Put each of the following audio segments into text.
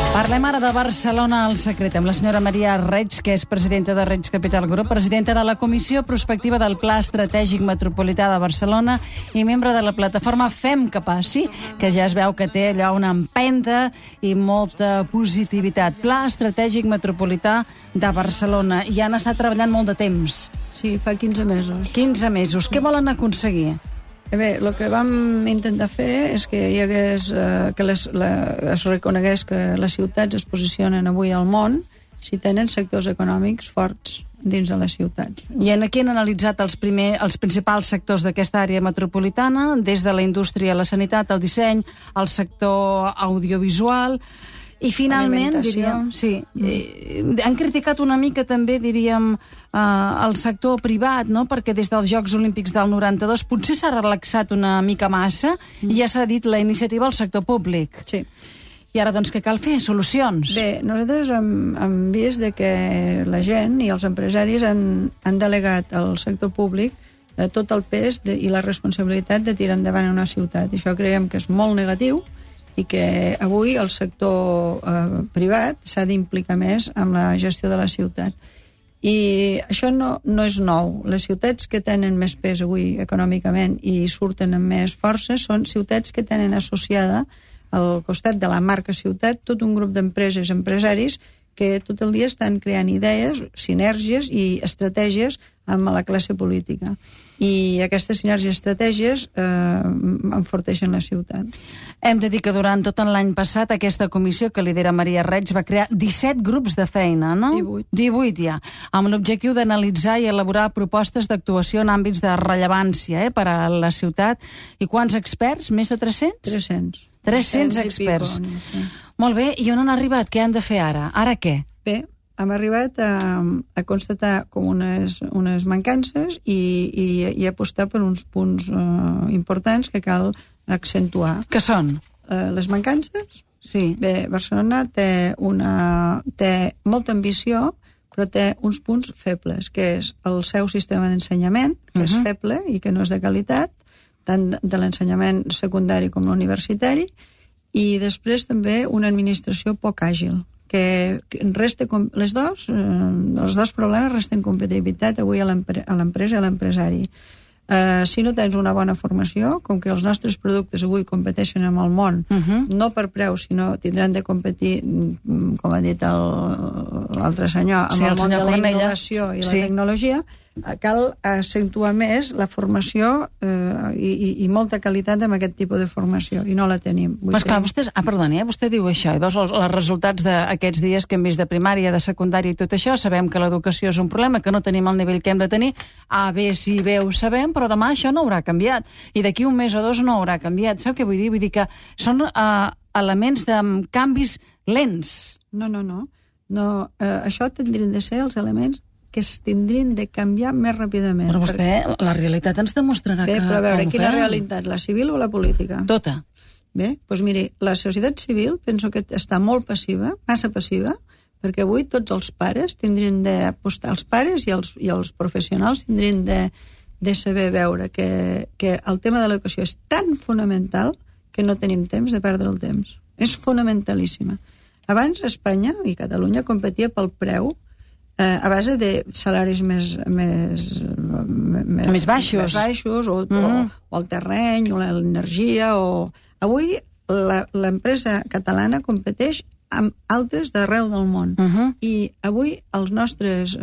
Parlem ara de Barcelona al secret amb la senyora Maria Reig, que és presidenta de Reig Capital Group, presidenta de la Comissió Prospectiva del Pla Estratègic Metropolità de Barcelona i membre de la plataforma Fem que Passi, que ja es veu que té allò una empenta i molta positivitat. Pla Estratègic Metropolità de Barcelona. I han estat treballant molt de temps. Sí, fa 15 mesos. 15 mesos. Què volen aconseguir? Bé, el que vam intentar fer és que hi hagués, es reconegués que les ciutats es posicionen avui al món si tenen sectors econòmics forts dins de les ciutats. I aquí han analitzat els principals sectors d'aquesta àrea metropolitana, des de la indústria, la sanitat, el disseny, el sector audiovisual. I finalment, diríem, sí, han criticat una mica també, diríem, el sector privat, no? Perquè des dels Jocs Olímpics del 92 potser s'ha relaxat una mica massa i ja s'ha dit la iniciativa al sector públic. Sí. I ara, doncs, què cal fer? Solucions? Bé, nosaltres hem vist que la gent i els empresaris han delegat al sector públic tot el pes i la responsabilitat de tirar endavant una ciutat. Això creiem que és molt negatiu i que avui el sector privat s'ha d'implicar més en la gestió de la ciutat. I això no és nou. Les ciutats que tenen més pes avui econòmicament i surten amb més força són ciutats que tenen associada al costat de la marca ciutat tot un grup d'empreses, empresaris que tot el dia estan creant idees, sinergies i estratègies amb la classe política. I aquestes sinergies i estratègies enforteixen la ciutat. Hem de dir que durant tot l'any passat aquesta comissió que lidera Maria Reig va crear 17 grups de feina, no? 18 ja, amb l'objectiu d'analitzar i elaborar propostes d'actuació en àmbits de rellevància per a la ciutat. I quants experts? Més de 300? 300 experts. Molt bé, i on han arribat? Què han de fer ara? Ara què? Bé, hem arribat a constatar com unes mancances i apostar per uns punts importants que cal accentuar. Què són? Les mancances? Sí. Bé, Barcelona té molta ambició, però té uns punts febles, que és el seu sistema d'ensenyament, que és feble i que no és de qualitat, tant de l'ensenyament secundari com l'universitari, i després també una administració poc àgil, que els dos problemes resten competitivitat avui a l'empresa i a l'empresari. Si no tens una bona formació, com que els nostres productes avui competeixen amb el món, no per preu, sinó tindran de competir, com ha dit l'altre senyor, amb el món de la innovació i la tecnologia, cal accentuar més la formació i molta qualitat amb aquest tipus de formació, i no la tenim. Però esclar, vostè diu això, i veus els resultats d'aquests dies que hem vist de primària, de secundària i tot això, sabem que l'educació és un problema, que no tenim el nivell que hem de tenir, bé, sí, bé, ho sabem, però demà això no haurà canviat, i d'aquí un mes o dos no haurà canviat. Sap què vull dir? Vull dir que són elements de canvis lents. No. Això tindrien de ser els elements que es tindrien de canviar més ràpidament. Però vostè, la realitat ens demostrarà que... Bé, però a veure, quina realitat? La civil o la política? Tota. Bé, doncs miri, la societat civil penso que està molt passiva, massa passiva, perquè avui tots els pares tindrien d'apostar, els pares i els professionals tindrien de saber veure que el tema de l'educació és tan fonamental que no tenim temps de perdre el temps. És fonamentalíssima. Abans Espanya i Catalunya competia pel preu a base de salaris més baixos o el terreny o l'energia. Avui l'empresa catalana competeix amb altres d'arreu del món i avui els nostres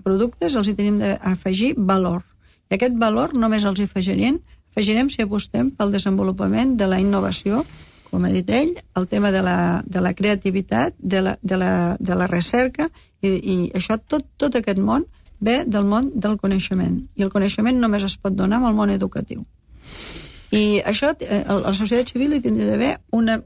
productes els hi tenim d'afegir valor. I aquest valor només els hi afegirem si apostem pel desenvolupament de la innovació, com ha dit ell, el tema de la creativitat, de la recerca, i això, tot aquest món ve del món del coneixement, i el coneixement només es pot donar amb el món educatiu. I això, la societat civil hi tindria d'haver una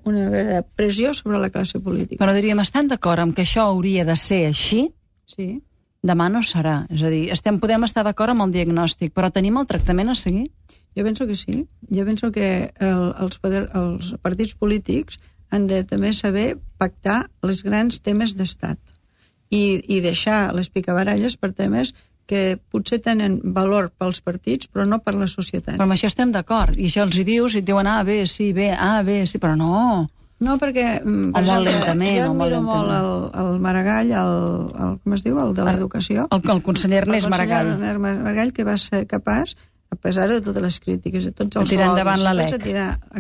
pressió sobre la classe política. Però diríem, estan d'acord amb que això hauria de ser així? Sí. Demà no serà. És a dir, podem estar d'acord amb el diagnòstic, però tenim el tractament a seguir? Jo penso que sí. Jo penso que els partits polítics han de també saber pactar els grans temes d'estat i deixar les picabaralles per temes que potser tenen valor pels partits, però no per la societat. Però amb això estem d'acord. I això els hi dius i et diuen bé, sí, però no. No, perquè... O molt lentament, jo admiro molt el Maragall, com es diu, el de l'Educació. El conseller Ernest Maragall. El conseller Ernest Maragall, que va ser capaç, a pesar de totes les crítiques, de tots els tirar endavant la LEC.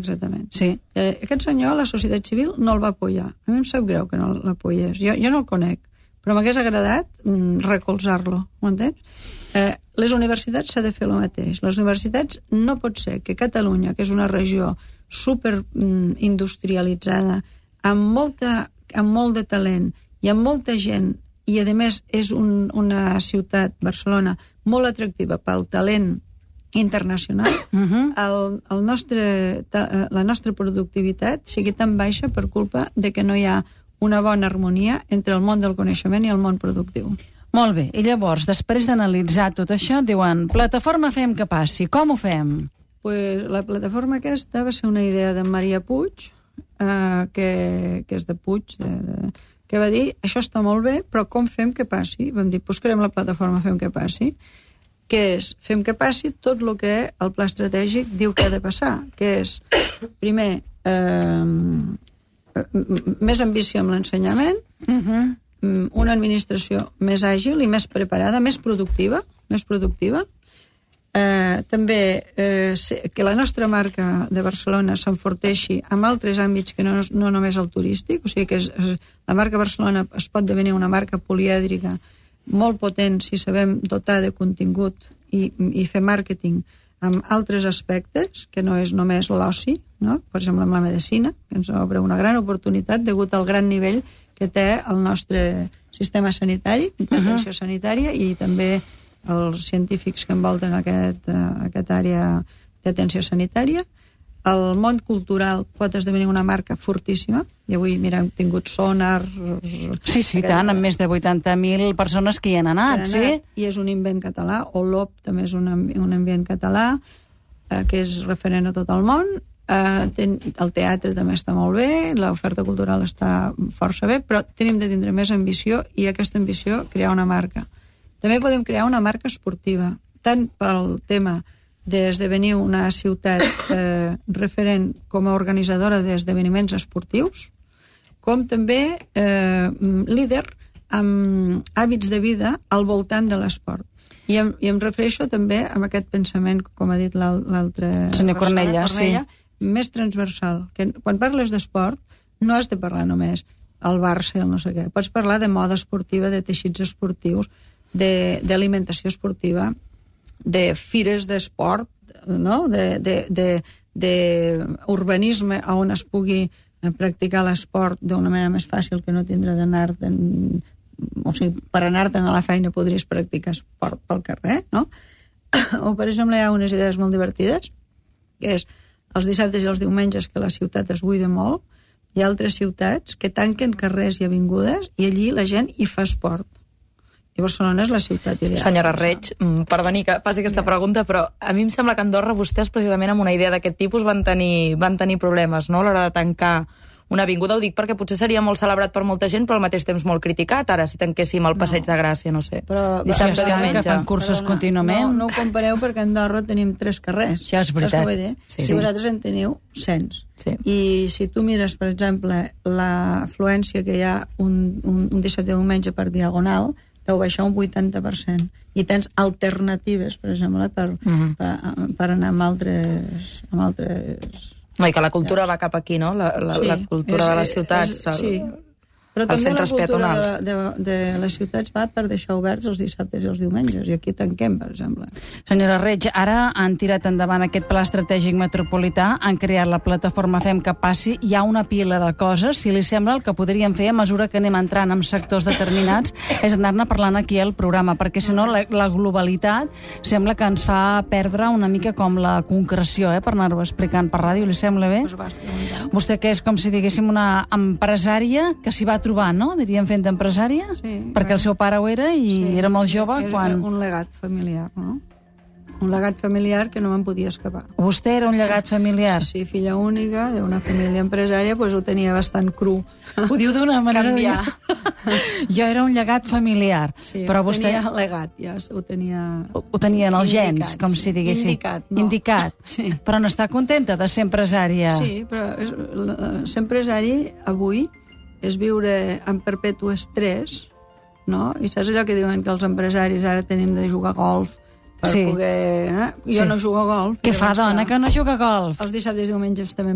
Exactament. Sí. Aquest senyor, la societat civil, no el va apoyar. A mi em sap greu que no l'apoyés. Jo no el conec, però m'hagués agradat recolzar-lo, ho entens? Les universitats s'ha de fer el mateix. Les universitats no pot ser que Catalunya, que és una regió super industrialitzada, amb molt de talent i amb molta gent, i a més és una ciutat, Barcelona, molt atractiva pel talent internacional, la nostra productivitat sigui tan baixa per culpa de que no hi ha una bona harmonia entre el món del coneixement i el món productiu. Molt bé, i llavors, després d'analitzar tot això, diuen, plataforma Fem que passi, com ho fem? Pues la plataforma aquesta va ser una idea de Maria Puig, que és de Puig, que va dir, això està molt bé, però com fem que passi? Vam dir, pues creem la plataforma Fem que passi, que és, fem que passi tot el que el pla estratègic diu que ha de passar, que és, primer, més ambició amb l'ensenyament, una administració més àgil i més preparada, més productiva, també que la nostra marca de Barcelona s'enforteixi en altres àmbits que no només el turístic, o sigui que la marca Barcelona es pot devenir una marca polièdrica molt potent si sabem dotar de contingut i fer màrqueting amb altres aspectes, que no és només l'oci, no? Per exemple, amb la medicina, que ens obre una gran oportunitat degut al gran nivell que té el nostre sistema sanitari, d'atenció sanitària, i també els científics que envolten aquesta àrea d'atenció sanitària. El món cultural pot esdevenir una marca fortíssima, i avui, mira, hem tingut Sonar... Sí, tant, amb més de 80.000 persones que hi han anat, sí. I és un invent català, o l'OP també és un invent català, que és referent a tot el món. El teatre també està molt bé, l'oferta cultural està força bé, però tenim de tindre més ambició, i aquesta ambició, crear una marca. També podem crear una marca esportiva, tant pel tema d'esdevenir una ciutat referent com a organitzadora d'esdeveniments esportius, com també líder amb hàbits de vida al voltant de l'esport. I em refereixo també a aquest pensament, com ha dit l'altre... Senyor Cornella, sí. Més transversal. Que quan parles d'esport no has de parlar només el Barça i el no sé què. Pots parlar de moda esportiva, de teixits esportius, d'alimentació esportiva, de fires d'esport, no? D'urbanisme on es pugui practicar l'esport d'una manera més fàcil, que no tindre d'anar... O sigui, per anar-te'n a la feina podries practicar esport pel carrer, no? O, per exemple, hi ha unes idees molt divertides, que és els dissabtes i els diumenges, que la ciutat es buida molt, hi ha altres ciutats que tanquen carrers i avingudes i allí la gent hi fa esport. I Barcelona és la ciutat ideal. Senyora Reig, perdoni que faci aquesta pregunta, però a mi em sembla que a Andorra vostès, precisament amb una idea d'aquest tipus, van tenir problemes, no?, a l'hora de tancar una avinguda. Ho dic perquè potser seria molt celebrat per molta gent, però al mateix temps molt criticat, ara, si tanquéssim el Passeig de Gràcia, no sé. Però dissabte, diumenge. Que fan cursos contínuament. No ho compareu, perquè a Andorra tenim 3 carrers. Ja és veritat. Si vosaltres en teniu 100. Sí. I si tu mires, per exemple, l'afluència que hi ha un dissabte diumenge per Diagonal, deu baixar un 80%. I tens alternatives, per exemple, per anar amb altres... I que la cultura va cap aquí, no? La cultura de les ciutats, però els també la centres peatonals. cultura de les ciutats va per deixar oberts els dissabtes i els diumenges, i aquí tanquem, per exemple. Senyora Reig, ara han tirat endavant aquest pla estratègic metropolità, han creat la plataforma Fem que passi, hi ha una pila de coses. Si li sembla, el que podríem fer a mesura que anem entrant en sectors determinats és anar-ne parlant aquí al programa, perquè si no la globalitat sembla que ens fa perdre una mica com la concreció, per anar-ho explicant per ràdio. Li sembla bé? Vostè, que és com si diguéssim una empresària que s'hi va trobar, no? Diríem, fent d'empresària? Sí. Perquè el seu pare ho era i era molt jove quan... Era un legat familiar, no? Un legat familiar que no me'n podia escapar. Vostè era un llegat familiar? Sí, filla única d'una família empresària, doncs ho tenia bastant cru. Ho diu d'una manera... Canviar. Jo era un llegat familiar. Sí, però vostè... tenia legat, ja ho tenia... Ho tenia en els gens, com si diguéssim. Indicat, no. Indicat. Sí. Però n'està contenta de ser empresària. Sí, però ser empresari avui és viure en perpetu estrès, no? I saps allò que diuen que els empresaris ara tenim de jugar a golf per poder... Jo no jugo a golf. Què fa, dona, que no juga a golf? Els dissabtes i diumenges també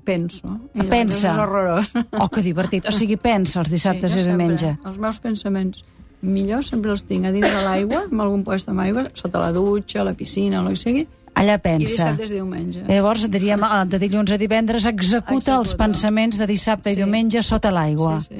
penso. Pensa? És horrorós. Oh, que divertit. O sigui, pensa els dissabtes i diumenge. Els meus pensaments millors sempre els tinc a dins de l'aigua, en algun lloc amb aigua, sota la dutxa, a la piscina, el que sigui, allà pensa. i dissabtes i diumenge. Llavors, diríem, de dilluns a divendres, executa els pensaments de dissabte i diumenge sota l'aigua. Sí.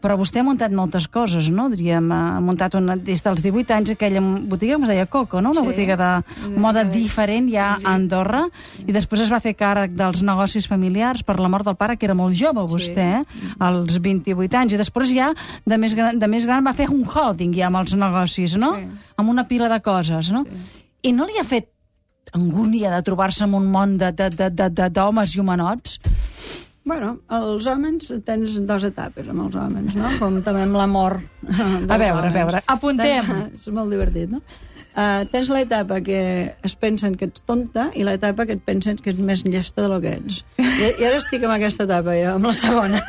Però vostè ha muntat moltes coses, no? Diríem, ha muntat des dels 18 anys aquella botiga que es deia Coco, no? Una botiga de moda diferent ja a Andorra, i després es va fer càrrec dels negocis familiars per la mort del pare, que era molt jove, vostè, als 28 anys, i després ja, de més gran, va fer un holding ja amb els negocis, no? Amb una pila de coses, no? I no li ha fet angúnia de trobar-se en un món d'homes i homenots? Bueno, els homes, tens dues etapes amb els homes, no? Com també amb l'amor dels homes. A veure, apuntem. És molt divertit, no? Tens l'etapa que es pensen que ets tonta i l'etapa que et pensen que ets més llesta del que ets. I ara estic en aquesta etapa, jo, amb la segona.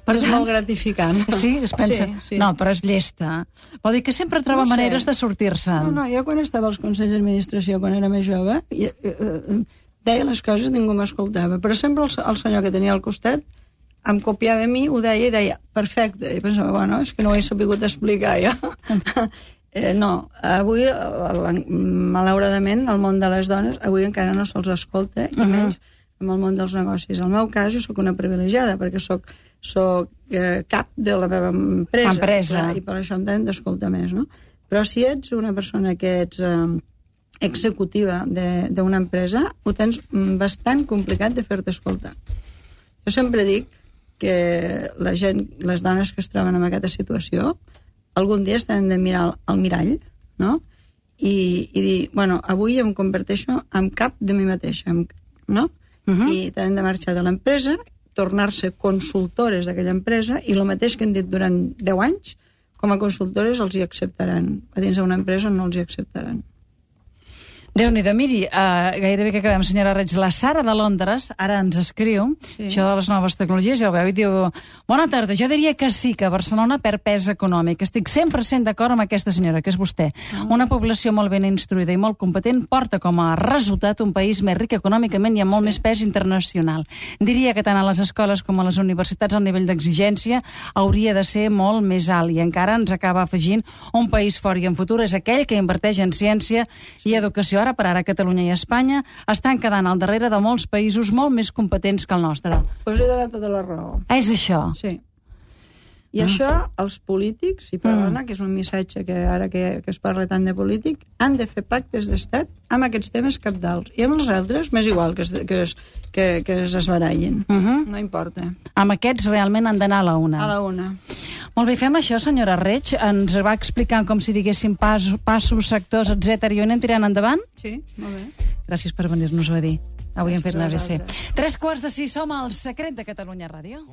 Però és molt gratificant. Sí? Es pensa... Sí. No, però és llesta. Vol dir que sempre troba maneres de sortir-se. No, jo quan estava als consells d'administració, quan era més jove, deia les coses i ningú m'escoltava. Però sempre el senyor que tenia al costat em copiava a mi, ho deia i deia, perfecte. I pensava, bueno, és que no ho he sabut explicar jo. No, avui, malauradament, el món de les dones avui encara no se'ls escolta, i menys amb el món dels negocis. En el meu cas, jo sóc una privilegiada, perquè sóc cap de la meva empresa. I per això em tenen d'escoltar més, no? Però si ets una persona que ets executiva d'una empresa, ho tens bastant complicat de fer-te escoltar. Jo sempre dic que la gent, les dones que es troben en aquesta situació, algun dia estan de mirar al mirall, no? I dir, bueno, avui em converteixo en cap de mi mateixa, no? I tenen de marxar de l'empresa, tornar-se consultores d'aquella empresa, i el mateix que han dit durant 10 anys, com a consultores els hi acceptaran. A dins d'una empresa no els hi acceptaran. Déu-n'hi-do, miri, gairebé que acabem, senyora Reig. La Sara de Londres ara ens escriu, això de les noves tecnologies, ja ho veu, i diu, bona tarda, jo diria que sí, que Barcelona perd pes econòmic. Estic 100% d'acord amb aquesta senyora, que és vostè. Una població molt ben instruïda i molt competent porta com a resultat un país més ric econòmicament i amb molt més pes internacional. Diria que tant a les escoles com a les universitats el nivell d'exigència hauria de ser molt més alt, i encara ens acaba afegint un país fort i en futur és aquell que inverteix en ciència i educació. Ara per ara Catalunya i Espanya estan quedant al darrere de molts països molt més competents que el nostre. Pues he donat tota la raó. És això? Sí. I això, els polítics, i perdona, que és un missatge que ara que es parla tant de polític, han de fer pactes d'estat amb aquests temes cabdals. I amb els altres, m'és igual que es esbarallin. No importa. Amb aquests realment han d'anar a la una. A la una. Molt bé, fem això, senyora Reig. Ens va explicant com si diguéssim passos, sectors, etc. I ho anem tirant endavant? Sí, molt bé. Gràcies per venir-nos-ho a dir. Avui hem fet l'ABC. 3:15, som al Secret de Catalunya Ràdio.